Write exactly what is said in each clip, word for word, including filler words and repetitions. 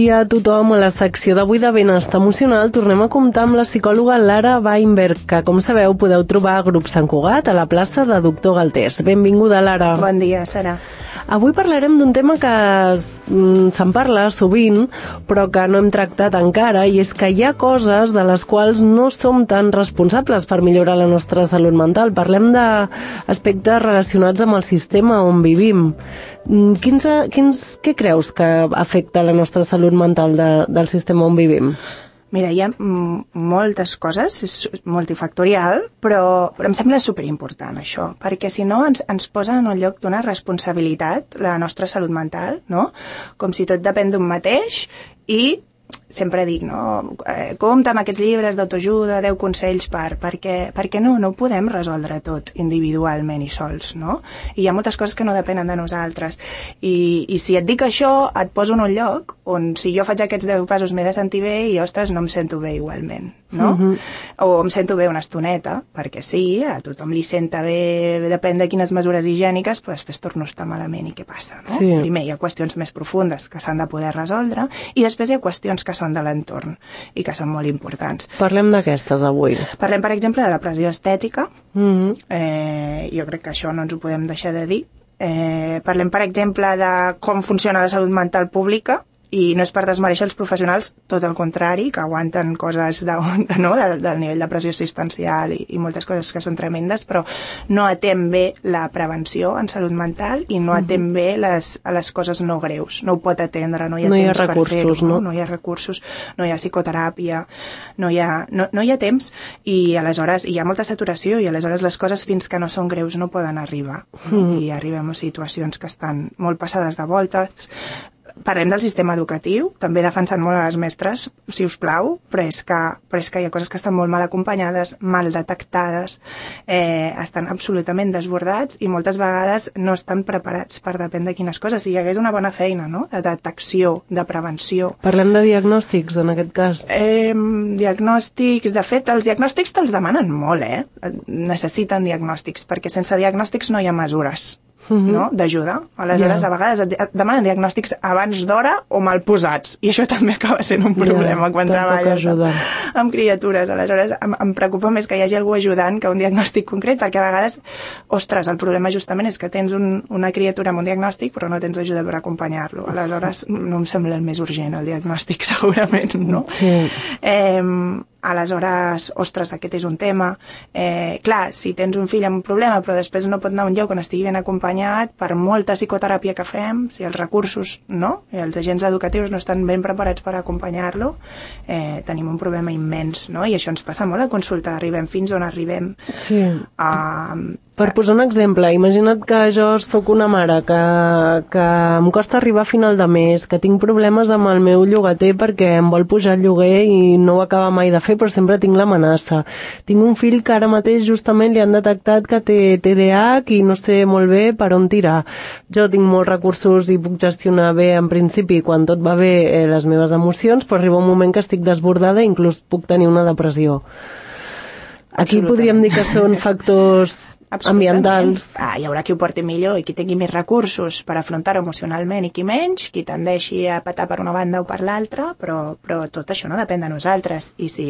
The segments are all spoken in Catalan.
dia a tothom. A la secció d'avui de Benestar Emocional tornem a comptar amb la psicòloga Lara Weinberg, que, com sabeu, podeu trobar a Grup Sant Cugat, a la plaça de Doctor Galtés. Benvinguda, Lara. Bon dia, Sara. Avui parlarem d'un tema que se'n parla sovint, però que no hem tractat encara, i és que hi ha coses de les quals no som tan responsables per millorar la nostra salut mental. Parlem d'aspectes relacionats amb el sistema on vivim. Quins, quins, què creus que afecta la nostra salut mental de, del sistema on vivim? Mira, hi ha moltes coses, és multifactorial, però, però em sembla superimportant això, perquè si no ens, ens posa en un lloc d'una responsabilitat la nostra salut mental, no? Com si tot depèn d'un mateix i sempre dic, no? Eh, compta amb aquests llibres d'autoajuda, deu consells per, perquè, perquè no, no ho podem resoldre tot individualment i sols, no? I hi ha moltes coses que no depenen de nosaltres. I, i si et dic això, et poso en un lloc on si jo faig aquests deu passos m'he de sentir bé i, ostres, no em sento bé igualment, no? Uh-huh. O em sento bé una estoneta, perquè sí, a tothom li senta bé, depèn de quines mesures higièniques, però després torno a estar malament i què passa, no? Sí. Primer hi ha qüestions més profundes que s'han de poder resoldre i després hi ha qüestions que són de l'entorn i que són molt importants. Parlem d'aquestes avui. Parlem, per exemple, de la pressió estètica. Mm-hmm. eh, jo crec que això no ens ho podem deixar de dir. Eh, parlem, per exemple, de com funciona la salut mental pública, i no és per desmereixer els professionals, tot el contrari, que aguanten coses de, de, no, del, del nivell de pressió assistencial i, i moltes coses que són tremendes, però no atén bé la prevenció en salut mental i no atén bé les, les coses no greus. No ho pot atendre, no hi ha no temps hi ha recursos, per fer-ho, no? no hi ha recursos, no hi ha psicoteràpia, no hi ha, no, no hi ha temps i aleshores hi ha molta saturació i aleshores les coses fins que no són greus no poden arribar. Mm. I arribem a situacions que estan molt passades de voltes. Parlem del sistema educatiu, també defensant molt a les mestres, si us plau, però és que, però és que hi ha coses que estan molt mal acompanyades, mal detectades, eh, estan absolutament desbordats i moltes vegades no estan preparats per depèn de quines coses. Si hi hagués una bona feina, no?, de detecció, de prevenció. Parlem de diagnòstics, en aquest cas. Eh, diagnòstics, de fet, els diagnòstics te'ls demanen molt, eh? Necessiten diagnòstics, perquè sense diagnòstics no hi ha mesures. Mm-hmm. No? D'ajuda. Aleshores, yeah. a vegades et demanen diagnòstics abans d'hora o mal posats. I això també acaba sent un problema yeah, quan treballes amb, amb criatures. Aleshores, em, em preocupa més que hi hagi algú ajudant que un diagnòstic concret, perquè a vegades, ostres, el problema justament és que tens un, una criatura amb un diagnòstic però no tens ajuda per acompanyar-lo. Aleshores, no em sembla el més urgent, el diagnòstic, segurament, no? Sí. Eh, aleshores, ostres, aquest és un tema. Eh, clar, si tens un fill amb un problema però després no pot anar a un lloc on estigui ben acompanyat, per molta psicoteràpia que fem, si els recursos, no?, i els agents educatius no estan ben preparats per acompanyar-lo, eh, tenim un problema immens, no? I això ens passa molt a consulta, arribem fins on arribem. Sí. Uh, Per posar un exemple, imagina't que jo sóc una mare que, que em costa arribar a final de mes, que tinc problemes amb el meu llogater perquè em vol pujar el lloguer i no ho acaba mai de fer, però sempre tinc l'amenaça. Tinc un fill que ara mateix justament li han detectat que té T D A H i no sé molt bé per on tirar. Jo tinc molts recursos i puc gestionar bé en principi quan tot va bé eh, les meves emocions, però arriba un moment que estic desbordada i inclús puc tenir una depressió. Aquí podríem dir que són factors ambientals. Ah, hi haurà qui ho porti millor i qui tingui més recursos per afrontar-ho emocionalment i qui menys, qui tendeixi a patar per una banda o per l'altra, però, però tot això no depèn de nosaltres. I si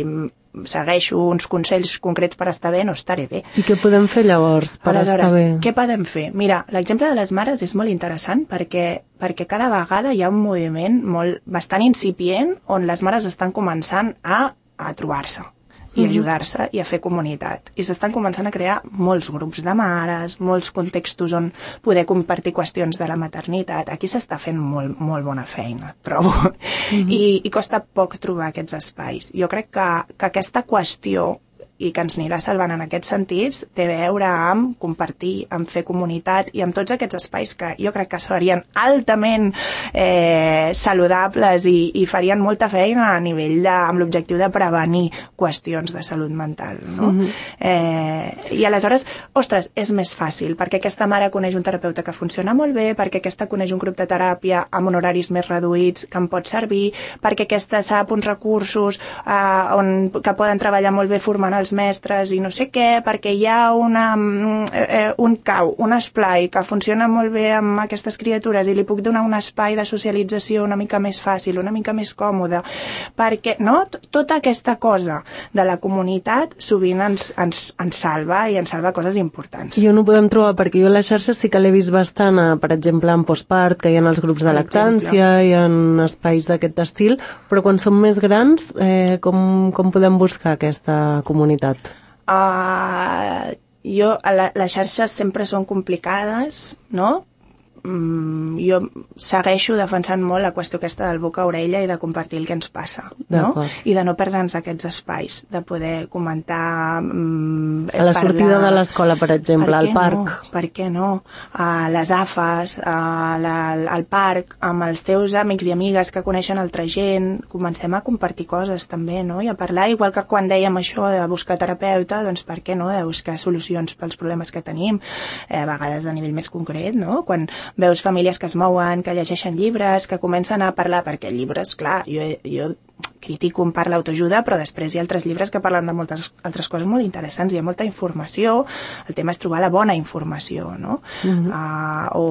segueixo uns consells concrets per estar bé, no estaré bé. I què podem fer llavors per Aleshores, estar bé? Què podem fer? Mira, l'exemple de les mares és molt interessant perquè, perquè cada vegada hi ha un moviment molt, bastant incipient on les mares estan començant a, a trobar-se i ajudar-se i a fer comunitat. I s'estan començant a crear molts grups de mares, molts contextos on poder compartir qüestions de la maternitat. Aquí s'està fent molt, molt bona feina, trobo. Mm-hmm. I, I costa poc trobar aquests espais. Jo crec que, que aquesta qüestió i que ens anirà salvant en aquests sentits té a veure amb compartir, amb fer comunitat i amb tots aquests espais que jo crec que serien altament eh, saludables i, i farien molta feina a nivell de, amb l'objectiu de prevenir qüestions de salut mental, no? Mm-hmm. eh, I aleshores, ostres, és més fàcil perquè aquesta mare coneix un terapeuta que funciona molt bé, perquè aquesta coneix un grup de teràpia amb honoraris més reduïts que em pot servir, perquè aquesta sap uns recursos eh, on, que poden treballar molt bé formant els els mestres i no sé què, perquè hi ha una, eh, un cau, un esplai que funciona molt bé amb aquestes criatures i li puc donar un espai de socialització una mica més fàcil, una mica més còmode, perquè, no? Tota aquesta cosa de la comunitat sovint ens, ens, ens salva i ens salva coses importants. I on ho podem trobar? Perquè jo a les xarxes sí que l'he vist bastant, a, per exemple, en postpart, que hi ha els grups de lactància, hi ha espais d'aquest estil, però quan som més grans, eh, com, com podem buscar aquesta comunitat? Uh, jo, la, les xarxes sempre són complicades, no? Mm, jo segueixo defensant molt la qüestió aquesta del boca a orella i de compartir el que ens passa, no? I de no perdre'ns aquests espais, de poder comentar, mm, a la parlar... sortida de l'escola, per exemple, al parc. No? Per què no? A les afes, a la, al parc, amb els teus amics i amigues que coneixen altra gent, comencem a compartir coses també, no? I a parlar, igual que quan dèiem això de buscar terapeuta, doncs per què no? De buscar solucions pels problemes que tenim, eh, a vegades a nivell més concret, no? Quan veus famílies que es mouen, que llegeixen llibres, que comencen a parlar, perquè llibres, clar, jo, jo critico en part l'autoajuda, però després hi ha altres llibres que parlen de moltes altres coses molt interessants, hi ha molta informació, el tema és trobar la bona informació, no? Uh-huh. uh, o,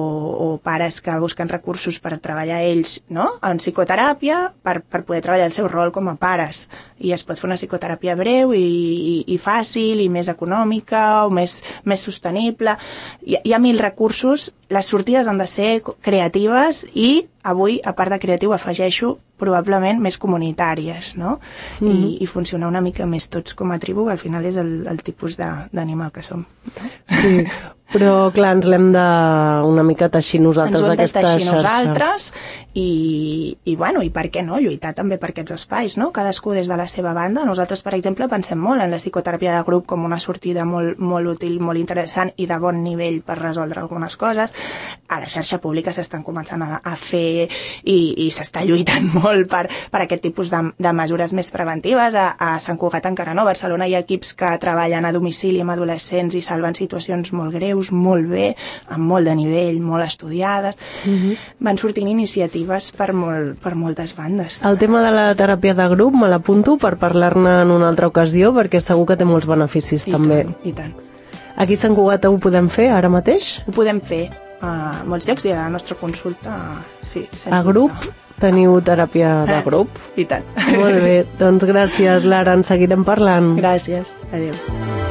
o pares que busquen recursos per treballar ells, no? En psicoteràpia, per, per poder treballar el seu rol com a pares, i es pot fer una psicoteràpia breu i, i, i fàcil, i més econòmica, o més, més sostenible. Hi, hi ha mil recursos, les sortides han de ser creatives i avui, a part de creatiu, afegeixo probablement més comunitàries, no? Mm-hmm. I, i funcionar una mica més tots com a tribu, que al final és el, el tipus d'animal que som. No? Sí, però clar, ens l'hem de una mica teixir nosaltres aquesta xarxa. Ens ho hem de teixir nosaltres i, i, bueno, i per què no? Lluitar també per aquests espais, no? Cadascú des de la seva banda. Nosaltres, per exemple, pensem molt en la psicoteràpia de grup com una sortida molt, molt útil, molt interessant i de bon nivell per resoldre algunes coses. A la xarxa pública s'estan començant a, a fer i, i s'està lluitant molt per, per aquest tipus de, de mesures més preventives. A, a Sant Cugat encara no. A Barcelona hi ha equips que treballen a domicili amb adolescents i salven situacions molt greus, molt bé, amb molt de nivell, molt estudiades. Uh-huh. Van sortint iniciatives per, molt, per moltes bandes. El tema de la teràpia de grup me l'apunto per parlar-ne en una altra ocasió, perquè segur que té molts beneficis. I també. Tant, i tant. Aquí a Sant Cugat ho podem fer ara mateix? Ho podem fer a molts llocs i a la nostra consulta, sí. A grup? Teniu teràpia de grup? I tant. Molt bé, doncs gràcies, Lara, en seguirem parlant. Gràcies, adéu.